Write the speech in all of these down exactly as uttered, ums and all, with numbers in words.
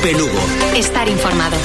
Cope Lugo. Estar informado.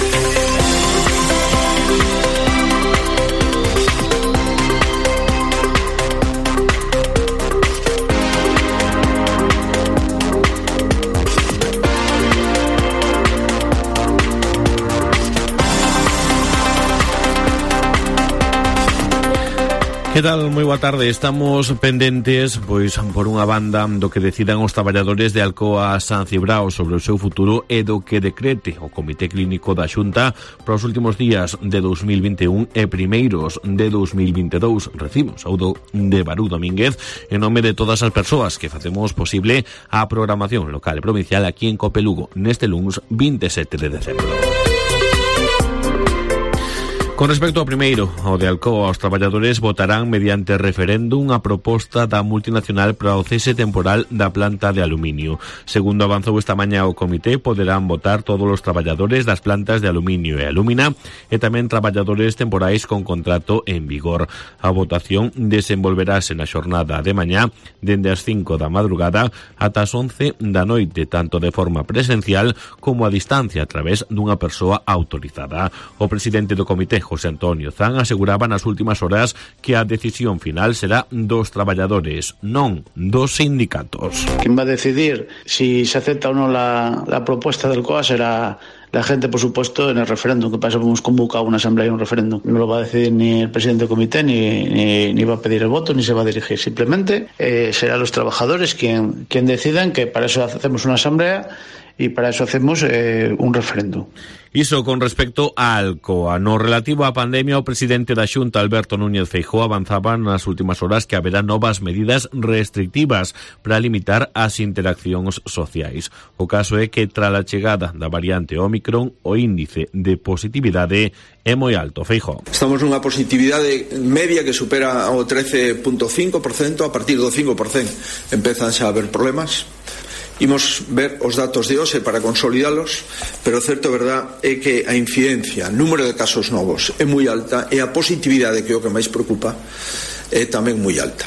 Que tal? Moi boa tarde. Estamos pendentes, pois, por unha banda do que decidan os traballadores de Alcoa San Cibrao sobre o seu futuro e do que decrete o Comité Clínico da Xunta para os últimos días de dos mil vinte e un e primeiros de dos mil vinte e dous. Recibimos saúdo de Barú Domínguez en nome de todas as persoas que facemos posible a programación local e provincial aquí en Cope Lugo neste luns vinte e sete de decembro. Con respecto ao primeiro, o de Alcoa, os traballadores votarán mediante referéndum a proposta da multinacional para o cese temporal da planta de aluminio. Segundo avanzou esta mañá o comité, poderán votar todos os traballadores das plantas de aluminio e alúmina e tamén traballadores temporais con contrato en vigor. A votación desenvolverase na xornada de mañá dende as cinco da madrugada ata as once da noite, tanto de forma presencial como a distancia a través dunha persoa autorizada. O presidente do comité, José Antonio Zan, aseguraba nas últimas horas que a decisión final será dos traballadores, non dos sindicatos. Quen va a decidir si se acepta ou non la, la propuesta del C O A será la gente, por supuesto, en el referéndum, que pasa, hemos convocado una asamblea y un referéndum. No lo va a decidir ni el presidente del comité, ni, ni, ni va a pedir el voto, ni se va a dirigir. Simplemente eh, serán los trabajadores quien, quien decidan, que para eso hacemos una asamblea y para eso hacemos eh, un referéndum. Iso con respecto a Alcoa. No relativo á pandemia, o presidente da Xunta, Alberto Núñez Feijóo, avanzaba nas últimas horas que haberá novas medidas restrictivas para limitar as interaccións sociais. O caso é que, tras a chegada da variante Ómicron, o índice de positividade é moi alto. Feijóo. Estamos nunha positividade media que supera o trece punto cinco por cento. A partir do cinco por cento empezan xa a haber problemas. Imos ver os datos de hoxe para consolidalos, pero o certo verdad é que a incidencia, número de casos novos é moi alta e a positividade, que é o que máis preocupa, é tamén moi alta.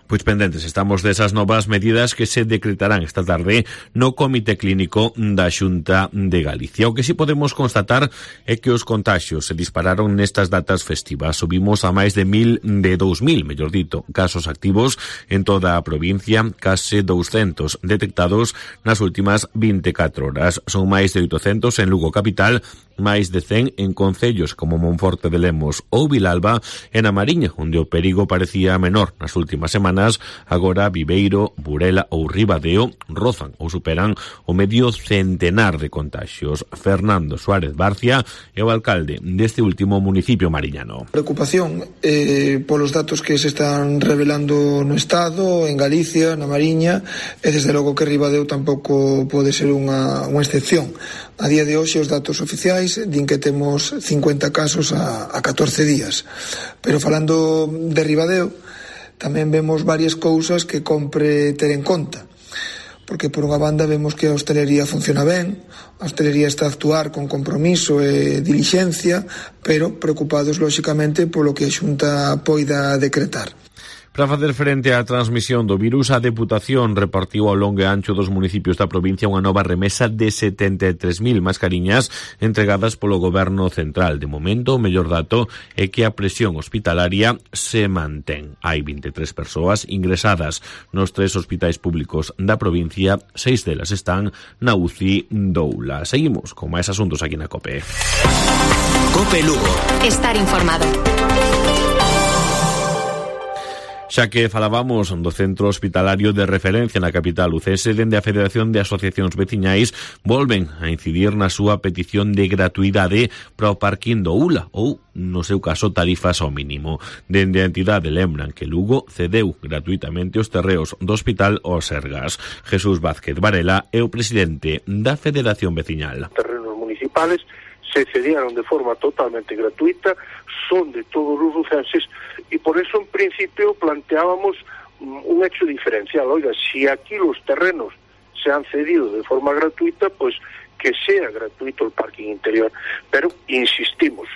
Pois pendentes estamos desas novas medidas que se decretarán esta tarde no Comité Clínico da Xunta de Galicia. O que si podemos constatar é que os contaxios se dispararon nestas datas festivas. Subimos a máis de mil, de dous mil, mellor dito, casos activos en toda a provincia, case douscentos detectados nas últimas vinte e catro horas. Son máis de oitocentos en Lugo capital, máis de cen en concellos como Monforte de Lemos ou Vilalba, e na Mariña, onde o perigo parecía menor nas últimas semanas. Agora Viveiro, Burela ou Ribadeo rozan ou superan o medio centenar de contaxios. Fernando Suárez Barcia é o alcalde deste último municipio mariñano. Preocupación eh, polos datos que se están revelando no Estado, en Galicia, na Mariña, e desde logo que Ribadeo tampouco pode ser unha, unha excepción. A día de hoxe os datos oficiais din que temos cincuenta casos a, a catorce días, pero falando de Ribadeo tamén vemos varias cousas que compre ter en conta, porque por unha banda vemos que a hostelería funciona ben, a hostelería está a actuar con compromiso e dilixencia, pero preocupados lóxicamente polo que a Xunta poida decretar. Para facer frente á transmisión do virus, a Deputación repartiu ao longo e ancho dos municipios da provincia unha nova remesa de setenta e tres mil mascariñas entregadas polo Goberno Central. De momento, o mellor dato é que a presión hospitalaria se mantén. Hai vinte e tres persoas ingresadas nos tres hospitais públicos da provincia, seis delas están na U C I Doula. Seguimos con máis asuntos aquí na COPE. COPE Lugo. Estar informado. Xa que falábamos do centro hospitalario de referencia na capital lucese, dende a Federación de Asociacións Veciñais volven a incidir na súa petición de gratuidade para o parking do U L A ou, no seu caso, tarifas ao mínimo. Dende a entidade lembran que Lugo cedeu gratuitamente os terreos do hospital aos Sergas. Jesús Vázquez Varela é o presidente da Federación Veciñal. Terrenos municipales se cedieron de forma totalmente gratuita, son de todos os lucenses, y por eso en principio planteábamos un hecho diferencial. Oiga, si aquí los terrenos se han cedido de forma gratuita, pues que sea gratuito el parking interior. Pero insistimos,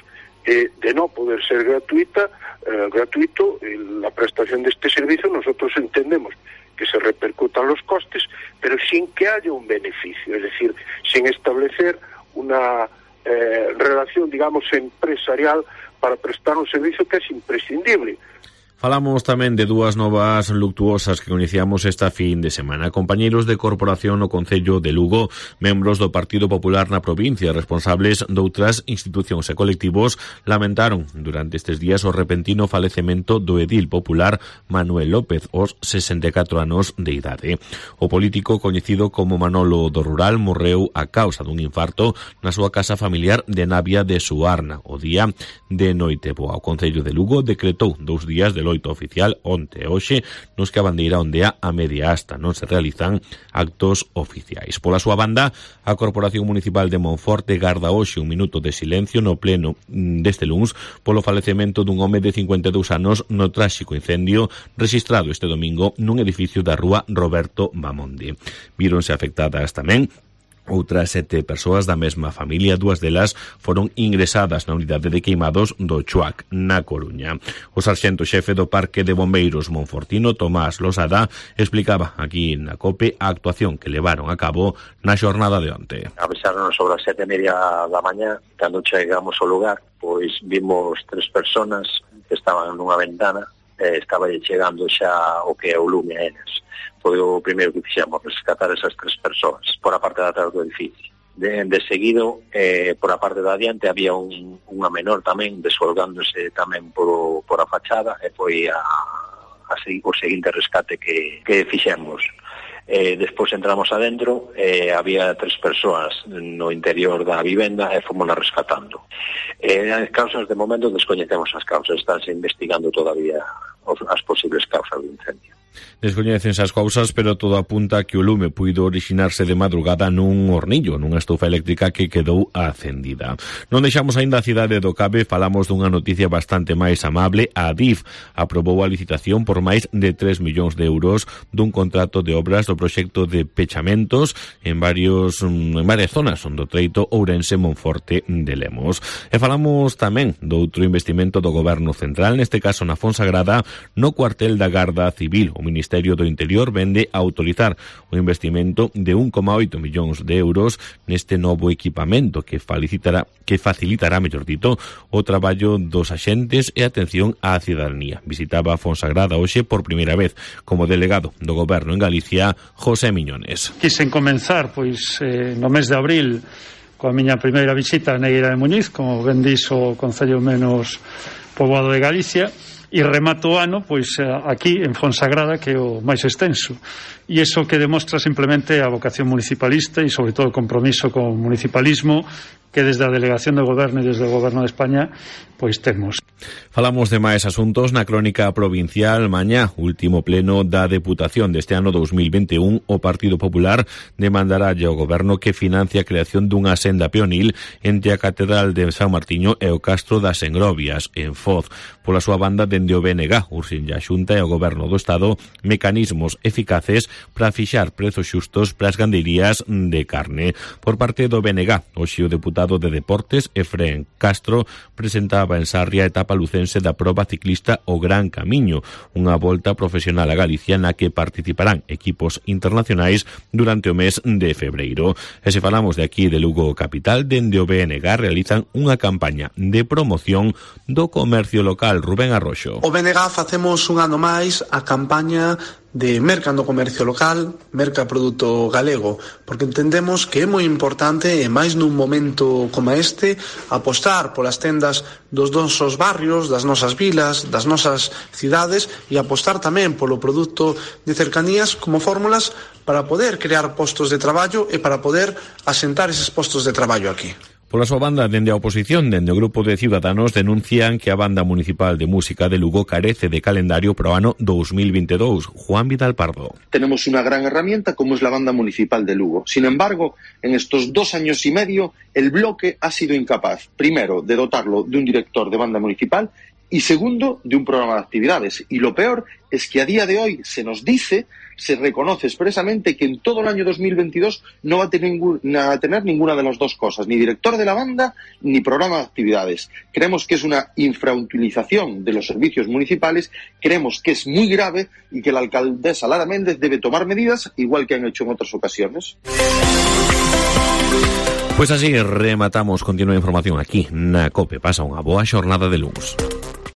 eh, de no poder ser gratuita, eh, gratuito eh, la prestación de este servicio, nosotros entendemos que se repercutan los costes, pero sin que haya un beneficio, es decir, sin establecer una eh, relación, digamos, empresarial para prestar un servicio que es imprescindible. Falamos tamén de dúas novas luctuosas que iniciamos esta fin de semana. Compañeiros de corporación no Concello de Lugo, membros do Partido Popular na provincia, responsables doutras institucións e colectivos, lamentaron durante estes días o repentino falecemento do edil popular Manuel López, aos sesenta e catro anos de idade. O político, coñecido como Manolo do Rural, morreu a causa dun infarto na súa casa familiar de Navia de Suarna, o día de Noiteboa. O Concello de Lugo decretou dous días de loito oficial onte e hoxe, nos que a bandeira ondea a media asta, non se realizan actos oficiais. Pola súa banda, a Corporación Municipal de Monforte garda hoxe un minuto de silencio no pleno deste luns polo falecemento dun home de cincuenta e dous anos no tráxico incendio rexistrado este domingo nun edificio da rúa Roberto Bamonde. Víronse afectadas tamén outras sete persoas da mesma familia, dúas delas foron ingresadas na unidade de queimados do Chuac, na Coruña. O sarxento xefe do Parque de Bombeiros monfortino, Tomás Losada, explicaba aquí na COPE a actuación que levaron a cabo na xornada de onte. Avisaron sobre as sete e media da mañá, cando chegamos ao lugar, pois vimos tres personas que estaban nunha ventana, e estaba chegando xa o que é o lume a eles. Foi o primeiro que fixemos, rescatar esas tres persoas por a parte de atrás do edificio. De, de seguido, eh, por a parte de adiante, había un, unha menor tamén desfolgándose tamén por, por a fachada, e foi a, a, o seguinte rescate que, que fixemos. Eh, despois entramos adentro, eh, había tres persoas no interior da vivenda e fomos rescatando. Eh, as causas, de momento, descoñecemos as causas, estánse investigando todavía as posibles causas do incendio. Descoñecense as cousas, pero todo apunta que o lume puido orixinarse de madrugada nun hornillo, nunha estufa eléctrica que quedou acendida. Non deixamos aínda a cidade do Cabe, falamos dunha noticia bastante máis amable. A Adif aprobou a licitación por máis de tres millóns de euros dun contrato de obras do proxecto de pechamentos en varios en varias zonas do treito Ourense Monforte de Lemos. E falamos tamén do outro investimento do Goberno Central, neste caso na Fonsagrada, no cuartel da Garda Civil. O Ministerio do Interior vende a autorizar o investimento de un coma oito millóns de euros neste novo equipamento que facilitará, que facilitará, mellor dito, o traballo dos axentes e atención á cidadanía. Visitaba a Fonsagrada hoxe por primeira vez como delegado do Goberno en Galicia, José Miñones. Quisen comenzar, pois, eh, no mes de abril, coa miña primeira visita a Neira de Muñiz, como ben dixo o Concello menos poboado de Galicia, e remato o ano, pois, aquí en Fonsagrada, que é o máis extenso. E iso que demostra simplemente a vocación municipalista e, sobre todo, o compromiso con o municipalismo que desde a Delegación do Goberno e desde o Goberno de España pois temos. Falamos de máis asuntos na crónica provincial. Mañá, último pleno da Deputación deste ano dos mil vinte e un, o Partido Popular demandará ao Goberno que financie a creación dunha senda peonil entre a Catedral de San Martiño e o Castro das Engrovias, en Foz. Pola súa banda, dende o B N G, urxen a Xunta e o Goberno do Estado mecanismos eficaces para fixar prezos xustos para as gandeirías de carne. Por parte do B N G, hoxe o deputado de Deportes, Efrén Castro, presentaba en Sarria a etapa lucense da proba ciclista O Gran Camiño, unha volta profesional a Galicia na que participarán equipos internacionais durante o mes de febreiro. E se falamos de aquí de Lugo capital, dende o B N G realizan unha campaña de promoción do comercio local. Rubén Arroxo. O B N G facemos un ano máis a campaña de mercando comercio local, merca produto galego, porque entendemos que é moi importante, e máis nun momento como este, apostar polas tendas dos nosos barrios, das nosas vilas, das nosas cidades, e apostar tamén polo produto de cercanías como fórmulas para poder crear postos de traballo e para poder asentar eses postos de traballo aquí. Pola súa banda, dende a oposición, dende o grupo de Ciudadanos, denuncian que a Banda Municipal de Música de Lugo carece de calendario para o ano dos mil vinte e dous. Juan Vidal Pardo. Tenemos una gran herramienta como es la Banda Municipal de Lugo. Sin embargo, en estos dos años y medio, el bloque ha sido incapaz, primero, de dotarlo de un director de banda municipal y segundo, de un programa de actividades. Y lo peor es que a día de hoy se nos dice, se reconoce expresamente que en todo el año dos mil veintidós no va a tener, ningún, a tener ninguna de las dos cosas, ni director de la banda ni programa de actividades. Creemos que es una infrautilización de los servicios municipales, creemos que es muy grave y que la alcaldesa Lara Méndez debe tomar medidas, igual que han hecho en otras ocasiones. Pues así rematamos, continúa a información aquí na COPE. Pasa unha boa xornada de luns.